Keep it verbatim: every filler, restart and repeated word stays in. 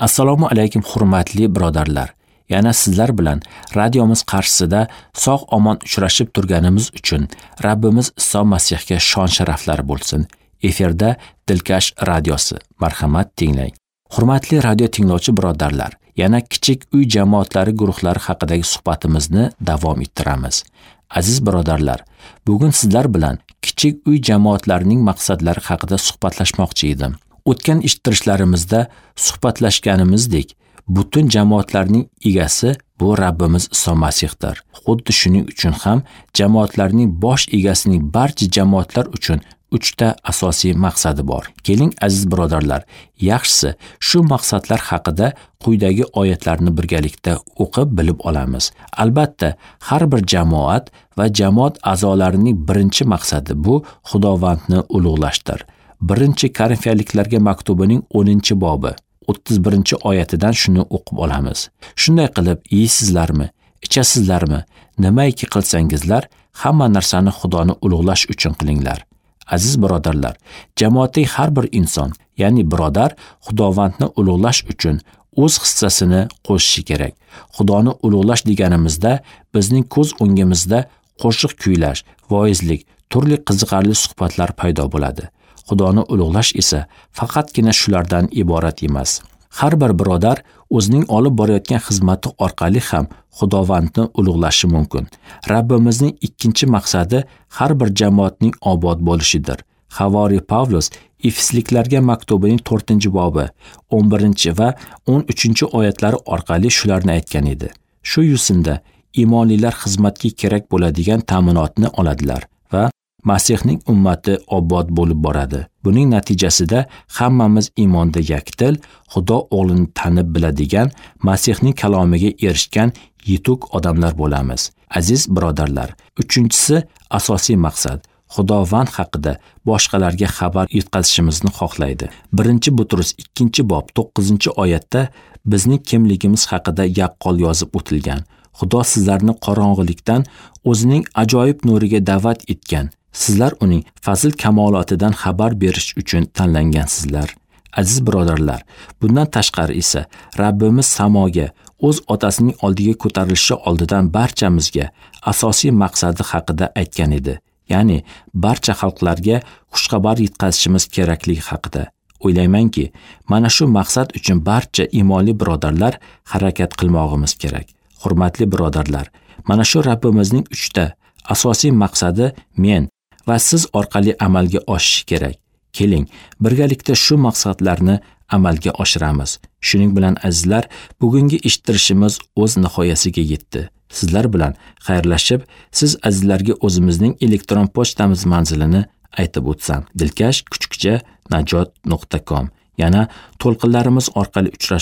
Assalomu alaykum hurmatli birodarlar. Yana sizlar bilan radiomiz qarshisida sog' omon uchrashib turganimiz uchun Rabbimiz Iso Masihga shon sharaflar bo'lsin. Efirda Dilkash radiosi. Marhamat tinglang. Hurmatli radio tinglovchi birodarlar, yana kichik uy jamoatlari guruhlari haqidagi suhbatimizni davom ettiramiz. Aziz birodarlar, bugun sizlar bilan kichik uy jamoatlarining maqsadlari haqida suhbatlashmoqchi edim. O'tgan eshittirishlarimizda suhbatlashganimizdek, butun jamoatlarning egasi bu Rabbimiz Iso Masihdir. Xuddi shuning uchun ham jamoatlarning bosh egasining barcha jamoatlar uchun uchta asosiy maqsadi bor. Keling aziz birodarlar, yaxshisi shu maqsadlar haqida quyidagi oyatlarni birgalikda o'qib bilib olamiz. Albatta, har bir jamoat va jamoat a'zolarining birinchi maqsadi bu Xudovandni ulug'lashdir. Birinchi Korinfiyaliklarga maktubining o'ninchi bobi o'ttiz birinchi oyatidan shuni o'qib olamiz. Shunday qilib, yeysizlarmi, ichasizlarmi, nimaiki qilsangizlar, hamma narsani Xudoni ulug'lash uchun qilinglar. Aziz birodarlar, jamoatdagi har bir inson, ya'ni birodar Xudovandni ulug'lash uchun o'z hissasini qo'shishi kerak. Xudoni ulug'lash deganimizda bizning ko'z o'ngimizda qo'shiq kuylash, voizlik, turli qiziqarli suhbatlar paydo bo'ladi. Xudoni ulug'lash esa faqatgina shulardan iborat emas. Har bir birodar o'zining olib borayotgan xizmati orqali ham Xudovandni ulug'lashi mumkin. Rabbimizning ikkinchi maqsadi har bir jamoatning obod bo'lishidir. Havori Pavlus Efesliklarga maktubining to'rtinchi bobi o'n birinchi va o'n uchinchi oyatlari orqali shularni aytgan edi. Shu yo'sinda iymonlilar xizmatga kerak bo'ladigan ta'minotni oladilar va Masihning ummati obod bo'lib boradi. Buning natijasida hammamiz iymonda yakdil, Xudo o'g'lini tanib biladigan, Masihning kalomiga erishgan yetuk odamlar bo'lamiz. Aziz birodarlar, uchinchisi asosiy maqsad Xudovand haqida boshqalarga xabar yetkazishimizni xohlaydi. Birinchi Butrus ikkinchi bob to'qqizinchi oyatda bizning kimligimiz haqida yaqqol yozib o'tilgan. Xudo sizlarni qorong'ilikdan o'zining ajoyib nuriga da'vat etgan. Sizlar uning fazil kamolotidan xabar berish uchun tanlangansizlar. Aziz birodarlar, bundan tashqari esa Rabbimiz samoga o'z otasining oldiga ko'tarilishi oldidan barchamizga asosiy maqsadi haqida aytgan edi. Ya'ni barcha xalqlarga xushxabar yetkazishimiz kerakligi haqida. O'ylaymanki, mana shu maqsad uchun barcha iymonli birodarlar harakat qilmog'imiz kerak. Hurmatli birodarlar, mana shu Rabbimizning uchta asosiy maqsadi men va siz orqali amalga oshishi kerak. Keling, birgalikda shu maqsadlarni amalga oshiramiz. Shuning bilan azizlar, bugungi eshittirishimiz o'z nihoyasiga yetdi. Sizlar bilan xayrlashib, siz azizlarga o'zimizning elektron pochtamiz manzilini aytib o'tsam: dilkash kuchukcha najot nuqta com. Yana to'lqinlarimiz orqali uchrashib